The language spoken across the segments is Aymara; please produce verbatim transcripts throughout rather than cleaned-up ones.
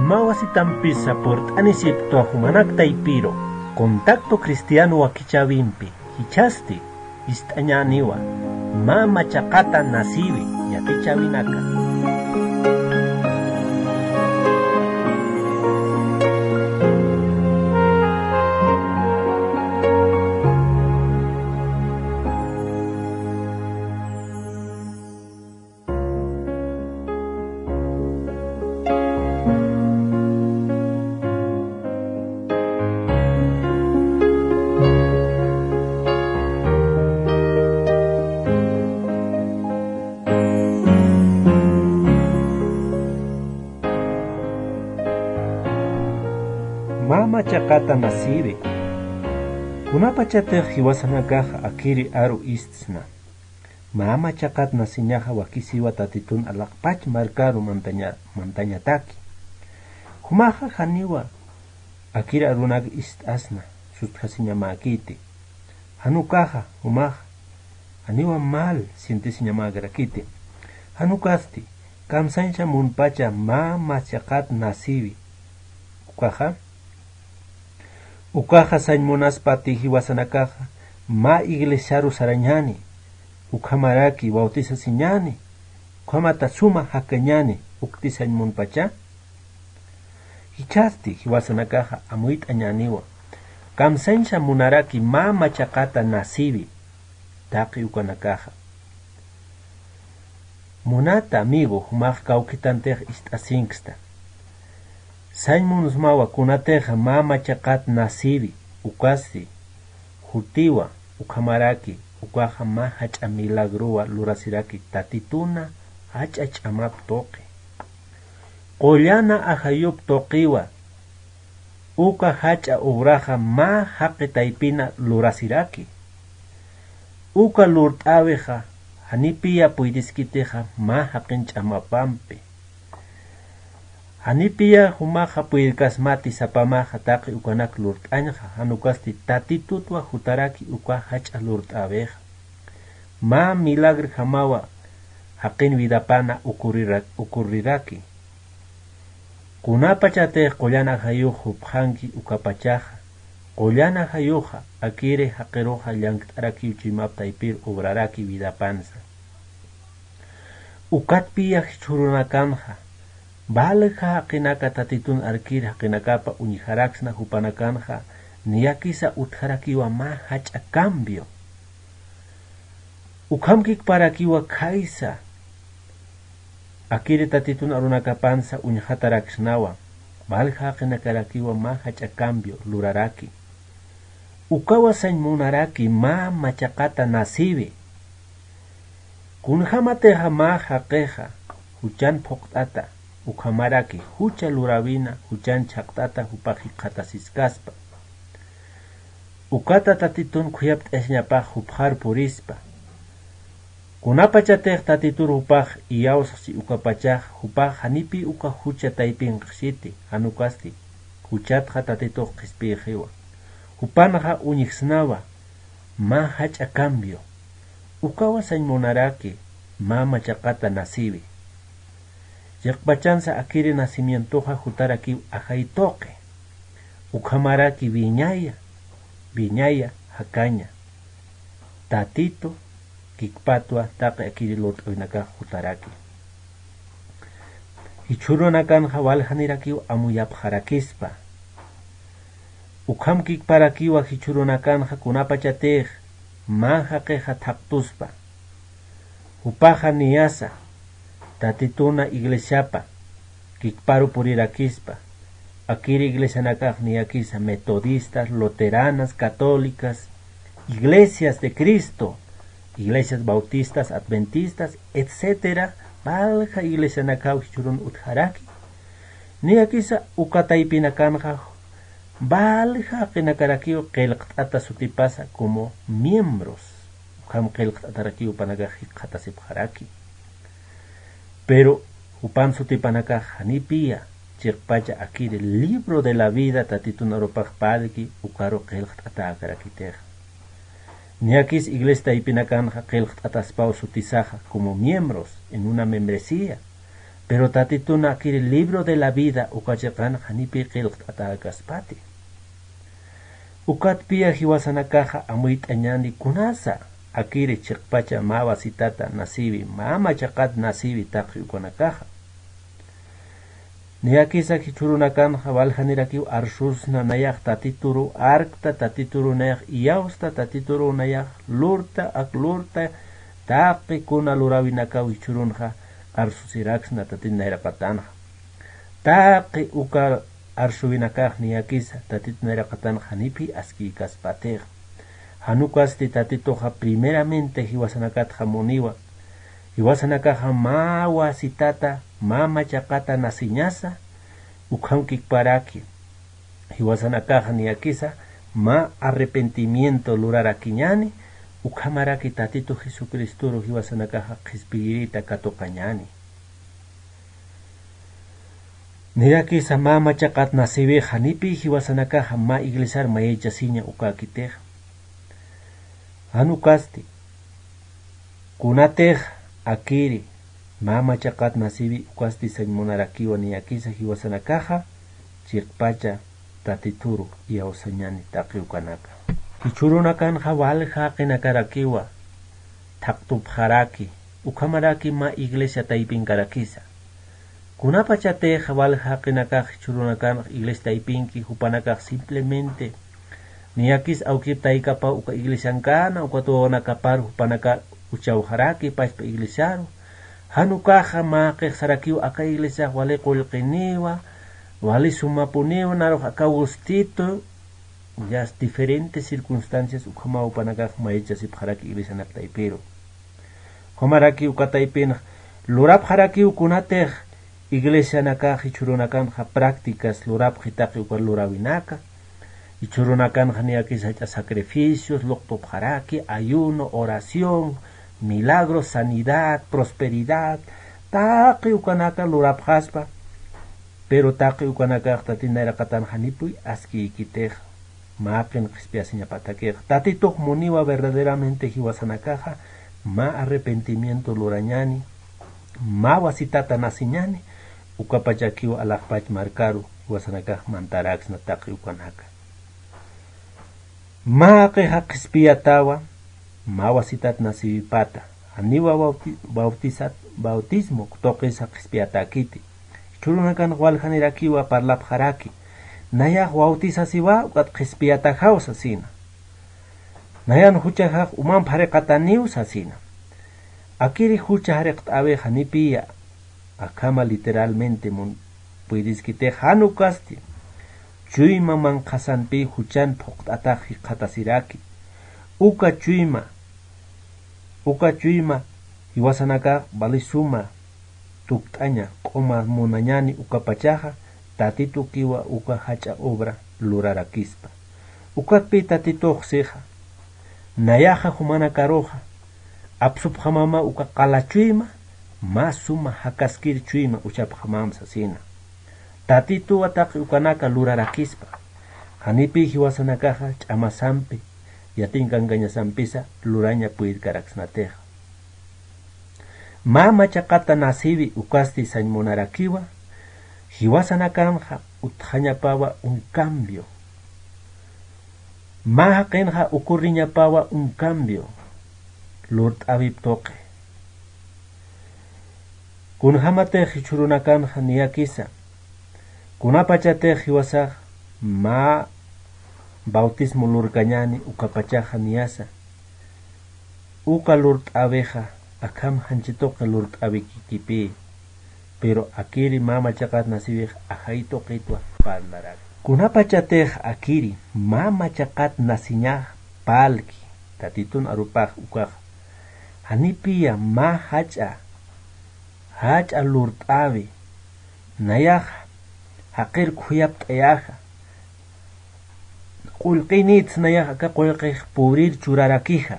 Mä wasitampisa purt'anisiptwa jumanak taypiru, Contacto Cristiano wakichäwimpi, jichhasti ist'añäniwa, mä machaqata nasïwi yatichäwinaka. Mä machaqata nasïwi. Kunapachatix jiwasanakaxa akiri aru istsna. Mä machaqat nasiñaxa wakisiwa Tatitun alaqpach markaru mantaña-, mantañataki. Jumaxa janiwa akiri arunak ist'asna, sustjasiñamäkiti. Jan ukaxa, jumaxa, janiwa mal sientesiñamäkarakiti. Jan ukasti, kamsañsa munpacha mä machaqat nasïwi. Ukaxa, ukaxa sañ munaspati jiwasanakaxa, mä iglesiaru sarañäni, ukhamaraki bautisasiñäni, ukhamata suma jakañäni, ukti sañ munpacha. Jichhasti jiwasanakaxa amuyt'añäniwa, kamsañsa munaraki mä machaqata nasïwi, taqi ukanakaxa. Munata amigo, jumax kawkitantix ist'asinksta. Sañ munsmawa kunatixa mä machaqat nasïwi, ukasti, jutiwa, ukhamaraki, ukaxa mä jach'a milagrowa lurasiraki Tatituna jach'a ch'amap tuqi. Qullana ajayup tuqiwa, uka jach'a obraxa mä jaqi taypina lurasiraki. Uka lurt'äwixa, janipiya puydiskitixa mä jaqin ch'amapampi. Janipiya jumaxa puyrkasmati sapamaxa taqi ukanak lurt'añxa, jan ukasti Tatitutwa jutaraki uka jach'a lurt'äwixa. Mä milagrjamawa jaqin vidapana ocurrira-, ocurriraki. Kunapachatix qullan ajayux jupxanki ukapachaxa, qullan ajayuxa akiri jaqiruxa llank't'arakiw chuymap taypir obraraki vidapansa. Ukatpiya jichhürunakanxa, valja jaqinaka Tatitun arkir jaqinakapa uñjaraksna jupanakanxa, niyakisa utjarakiwa mä jach'a cambio. Ukham kikparakiwa khaysa, akiri Tatitun arunakapansa uñjataraksnawa, valja jaqinakarakiwa mä jach'a cambio luraraki. Ukawa sañ munaraki mä machaqata nasïwi. Kunjamatixa mä jaqixa juchan phuqt'ata, ukhamaraki jucha luräwina juchan chhaqt'ata jupax jikxatasiskaspa. Ukata Tatitun khuyapt'asiñapax jupxar purispa. Kunapachatix Tatitur jupax iyawsxchi ukapachax, jupax janipiy uka jucha taypinxchiti, jan ukasti, juchatxa Tatitux qhispiyxiwa. Jupanxa uñjsnawa, mä jach'a cambio. Ukawa sañ munaraki, mä machaqata nasïwi. Chiqpachansa akiri nacimientoxa jutarakiw ajay tuqi. Ukhamaraki wiñaya, wiñaya, jakaña. Tatitu, kikpatwa, taqi akiri lurt'awinakax jutaraki. Jichhürunakanxa waljanirakiw amuyapxarakispa. Ukham kikparakiwa jichhürunakanxa kunapachatix mä jaqixa thaqtuspa. Jupaxa niyasa, Tatituna iglesiapa kikparu purirakispa. Akiri iglesianakax niyakisa metodistas, luteranas, católicas, iglesias de Cristo, iglesias bautistas, adventistas, etcétera, valja iglesianakaw jichhürun utjaraki. Niyakisa uka taypinakanxa valja jaqinakarakiw qillqt'ata sutipasa como miembros. Ukham qillqt'atarakiw jupanakax jikxatasipxaraki. Pero jupan sutipanakax janipiya chiqpacha akiri libro de la vida Tatitun arupax parlki ukaru qillqt'atäkarakitixa. Niyakis iglesia taypinakanxa qillqt'ataspaw sutisaxa como miembros en una membresía. Pero tatitun akiri libro de la vida uka chiqan janipi qillqt'atäkaspati. Ukatpiya jiwasanakaxa amuyt'añani kunasa akiri chiqpacha mä wasitata nasiwi, mä machaqat nasiwi taqi ukanakaxa. Niyakisa jichhürunakanxa waljanirakiw arsusna nayax tatituru arkta, tatituru nayax iyawsta, tatituru nayax lurta, ak lurta, taqi kuna luräwinakaw jichhürunxa arsusiraksna tatit nayraqatanxa. Taqi uka arsuwinakax niyakisa tatit nayraqatanxa janipi askïkaspatix. Jan ukasti tatituxa primeramente jiwasanakatxa muniwa. Jiwasanakaxa mä wasitata, mä machaqata nasiñasa, ukham kikparaki. Jiwasanakaxa niyakisa mä arrepentimiento lurarakiñani, ukhamaraki tatitu Jesucristoru jiwasanakaxa qhispiyirita katuqañani. Niyakisa mä machaqat nasiwix janipi jiwasanakaxa mä iglesiar mayachasiña ukäkitix. Jan ukasti, kunatix akiri mä machaqat nasiwi ukasti sañ munarakiwa niyakisa jiwasanakaxa, chiqpacha tatituru iyawsañani taqi ukanaka. Jichhürunakanxa walja jaqinakarakiwa thaqtupxaraki, ukhamaraki mä iglesia taypinkarakisa. Kunapachatix walja jaqinakax jichhürunakanx iglesia taypinki, jupanakax simplemente niyakis awkip taykapaw uka iglesiankana, ukat wawanakapar jupanaka uchawxaraki pachpa iglesiaru. Jan ukaxa mä jaqix sarakiw aka iglesiax wali qullqiniwa, wali sumapuniwa, narux aka gustito, ya diferentes circunstancias ukhamaw jupanakax mayachasipxaraki iglesianak taypiru. Ukhamaraki uka taypinx lurapxarakiw kunatix iglesianakax jichhürunakanxa prácticas lurapxi taqi uka luräwinaka. Jichhürunakanxa niyakis jach'a sacrificios, luqtupxaraki, ayuno, oración, milagro, sanidad, prosperidad, taqi ukanaka lurapxaspa. Pero taqi ukanakax tatit nayraqatanxa janipuy askïkitix. Mä jaqin qhispiyasiñapatakix. Tatitux muniwa verdaderamente jiwasanakaxa mä arrepentimiento lurañani, mä wasitata nasiñani, ukapachakiw alaxpach markaru jiwasanakax mantaraksna taqi ukanaka. Mä jaqixa qhispiyatawa, mä wasitat nasiwipata, janiwa bauti-, bautisat-, bautismo tuqisa qhispiyatäkiti. Jichhürunakanx waljanirakiwa parlapxaraki, nayax bautisasiwa ukat qhispiyatajaw sasina. Nayan juchajax umamp jariqataniw sasina. Akiri jucha jariqt'äwix janipiya, akhama literalmente mun-, puydiskitix jan ukasti, chuyma manqhasanpi juchan phuqt'atax jikxatasiraki. Uka chuyma, uka chuyma jiwasanakax vali suma tukt'aña, q'uma munañani ukapachaxa, tatitukiwa uka jach'a obra lurarakispa. Ukatpi tatitux sixa, nayaxa jumanakaruxa, apsupxamama uka qala chuyma, mä suma jakaskir chuyma uchapxamam sasina. Tatituwa taqi ukanaka lurarakispa, janipi jiwasanakaxa ch'amasampi, yatiñkankañasampisa luraña puydkaraksnatixa. Mä machaqata nasiwi ukasti sañ munarakiwa, jiwasanakanxa utjañapawa un cambio. Mä jaqinxa ocurriñapawa un cambio lurt'äwip tuqi. Kunjamatix jichhürunakanxa niyakisa, kunapachatix jiwasax mä bautismo lurkañani ukapachaxa niyasa, uka lurt'äwixa akham janchi tuqi lurt'äwikikipï. Pero akiri mä machaqat nasiwix ajay tuqitwa parlarak. Kunapachatix akiri mä machaqat nasiñax parlki, tatitun arupax ukaxa, janipiya mä jach'a, jach'a lurt'äwi, nayax jaqir khuyapt'ayaxa, qullqinïtsa nayax aka qullqix purïr churarakixa.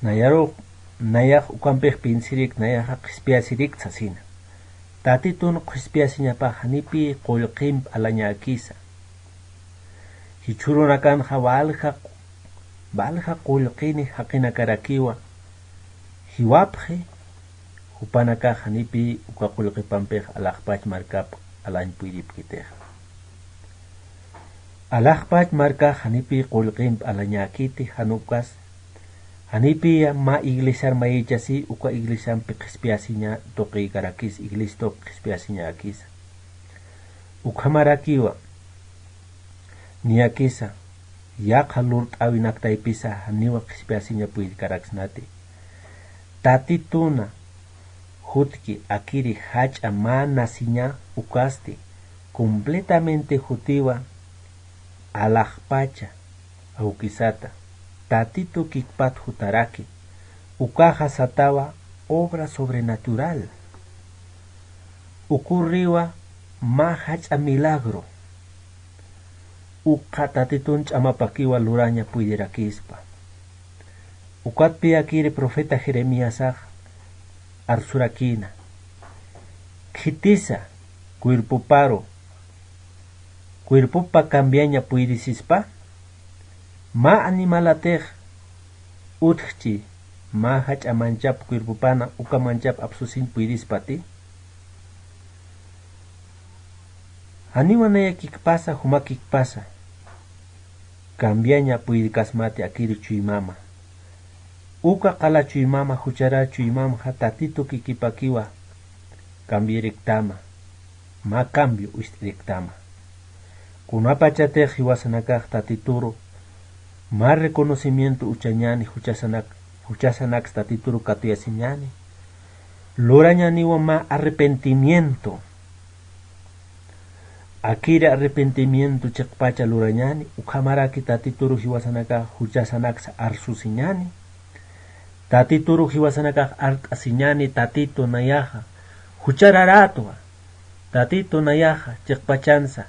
Nayarux, nayax ukampix piensirik, nayaxa qhispiyasirik sasina. Tatitun qhispiyasiñapax janipi qullqimp alañäkisa. Jichhürunakanxa walja, walja qullqini jaqinakarakiwa, jiwapxi, Jupanakax janipi uka qullqipampix alaxpach markap alañ puyripkitixa. Alaxpach markax janipi qullqimp alañäkiti, jan ukas janipi mä iglesiar mayichasi uka iglesiampi qhispiyasiña tuqïkarakis, iglesiatuq qhispiyasiñäkisa. Ukhamarakiwa niyakisa yaqha lurt'äwinaktaypisa janiwa qhispiyasiña puyrkaraksnati. Tatituna jutki akiri jach'a mä nasiña ukasti completamente jutiwa alaxpacha awkisata. Tatitu kikpat jutaraki ukaxa satawa obra sobrenatural. Ukurriwa mä jach'a milagro ukxa Tatitun ch'amapakiwa luraña puydirakispa. Ukatpiyakiri profeta Jeremiasax arsurakïna: Khitisa cuerpoparu, cuerpopa cambiaña puydisispa? Mä animalatix utjchi mä jach'a manchap cuerpopana uka manchap apsusiñ puydispati? Janiwa naya kikpasa, juma kikpasa cambiaña puyrkasmati akiri chuymama. Uka qala chuymama, juchara chuymamxa Tatitu kikipakiwa cambiariktama, mä cambio ist'iriktama. Kunapachatix jiwasanakax Tatituru mä reconocimiento uchañäni, juchasanak, juchasanaks Tatituru katuyasiñäni, lurañäniwa mä arrepentimiento. Akiri arrepentimiento chiqpacha lurañäni, ukhamaraki Tatituru jiwasanakax juchasanaksa arsusiñäni. Tatituru jiwasanakax art'asiñäni: Tatitu, nayaxa juchararätwa. Tatitu, nayaxa chiqpachansa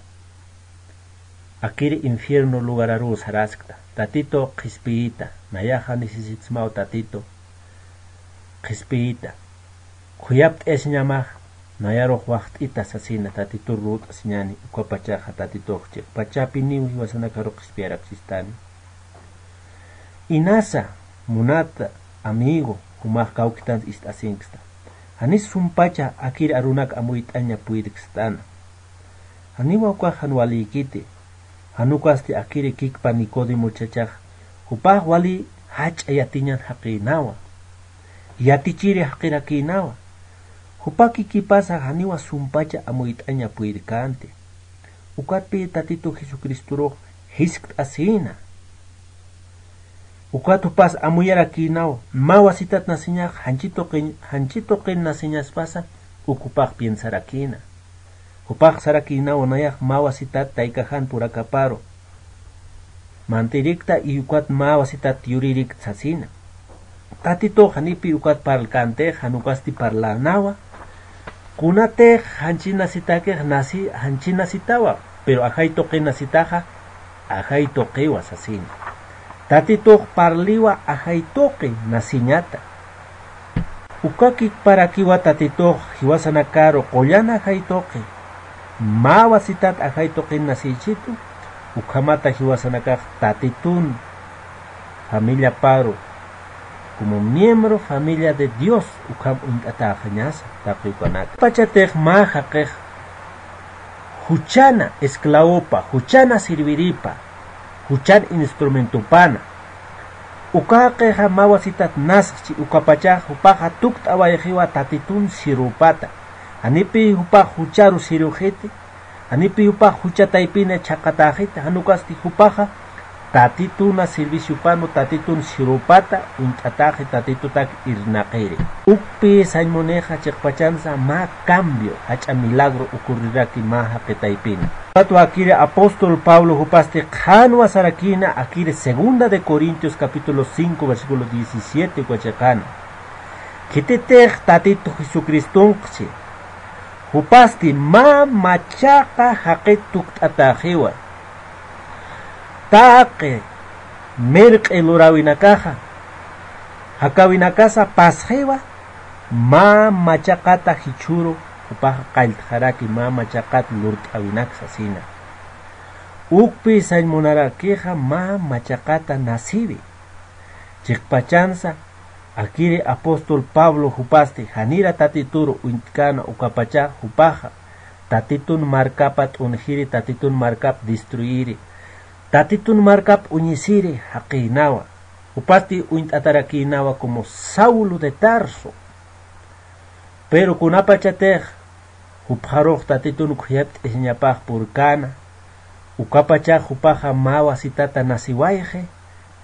akiri infierno lugararuw saraskta. Tatitu, qhispiyita, nayaxa necesitasmaw Tatitu, qhispiyita. Khuyapt'ayasiñamax, nayarux waxt'ita sasina Tatitur lurt'asiñäni. Ukapachaxa Tatitux chiqpachapiniw jiwasanakaru qhispiyaraksistani. Inasa, munata amigo, jumax kawkitans ist'asinksta. Janis sumpacha akir arunak amuyt'aña puyrkstana. Janiwa ukax jan walïkiti. Jan ukasti akiri kikpa Nicodemo chachax jupax wali jach'a yatiñan jaqïnawa, yatichiri jaqirakïnawa. Jupa kikipasa janiwa sumpacha amuyt'aña puyrkänti. Ukatpï Tatitu Jesucristorux jiskt'asïna. Ukat jupas amuyarakïnaw, mä wasitat nasiñax janchi tuqin, janchi tuqin nasiñaspasa, uk jupax piensarakïna. Jupax sarakïnaw, nayax mä wasitat taykaxan purakaparu mant'irikta, y ukat mä wasitat yuririkt sasina. Tatitux janipi ukat parlkäntix, jan ukasti parlänawa. Kunatix janchi nasitakix nasi, janchi nasitawa, pero ajay tuqi nasitaxa, ajay tuqiwa sasina. Tatitux parliwa ajay tuqi nasiñata. Uka kikparakiwa Tatitux jiwasanakaru qullan ajay tuqi, mä wasitat ajay tuqin nasïchitu, ukhamata jiwasanakax Tatitun familiaparu, como miembro familia de Dios, ukham uñt'atäxañasa taqi ukanaka. Pachatix mä jaqix juchana esclavopa, juchana sirviripa, juchan instrumentopana. Uka jaqixa mä wasitat nasxchi, ukapachax jupaxa tukt'awayxiwa Tatitun sirupata. Janipi jupax jucharu siruxiti, janipi jupax jucha taypina chhaqatäxiti, jan ukasti jupaxa Tatituna serviciopanu Tatitun sirupata uñt'atäxi, Tatitutak irnaqiri. Ukpi sañ munixa chiqpachansa mä cambio, jach'a milagro ocurriraki mä jaqi taypina. Ukatwa akiri apóstol Pablo jupasti qhanwa sarakïna akiri segunda de Corintios capítulo cinco versículo diecisiete uka chiqana. Khititix Tatitu Jesucristunqchi, jupasti mä machaqa jaqit tukt'atäxiwa. Taqi mirq'i luräwinakaxa, jakäwinakasa pasxiwa, mä machaqata jichhüru, jupaxa qalltxaraki mä machaqat lurt'äwinak sasina. Ukpi sañ munarakixa mä machaqata nasiwi. Chiqpachansa, Akiri apóstol Pablo jupasti janira Tatituru uñt'kana ukapacha jupaxa Tatitun markapa t'unjiri, Tatitun markap destruiri, Tatitun markap uñisiri jaqïnawa. Jupasti uñt'atarakïnawa como Saulo de Tarso. Pero kunapachatix jupxarux Tatitun khuyapt'isiñapax purkäna, ukapachax jupaxa mä wasitata nasiwayxi,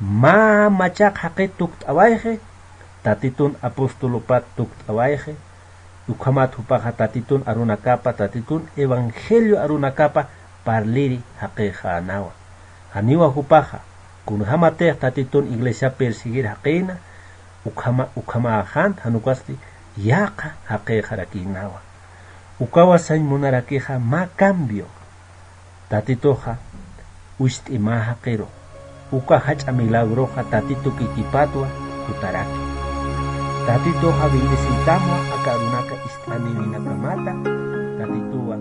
mä machaq jaqit tukt'awayxi, Tatitun apostolupat tukt'awayxi, ukhamat jupaxa Tatitun arunakapa, Tatitun evangelio arunakapa parliri jaqixänawa. Janiwa jupaxa, kunjämatix Tatitun iglesia perseguir jaqïna, ukhama, ukhamäxan jan ukasti yäqa jaqixarakïnawa. Ukawa sañ munarakixa mä cambio. Tatituxa ucht'i mä jaqiru. Uka jach'a milagroxa Tatitu kikipatwa jutaraki. Tatituxa bendeciytamwa aka arunaka ist'aniwinakamata. Tatituwa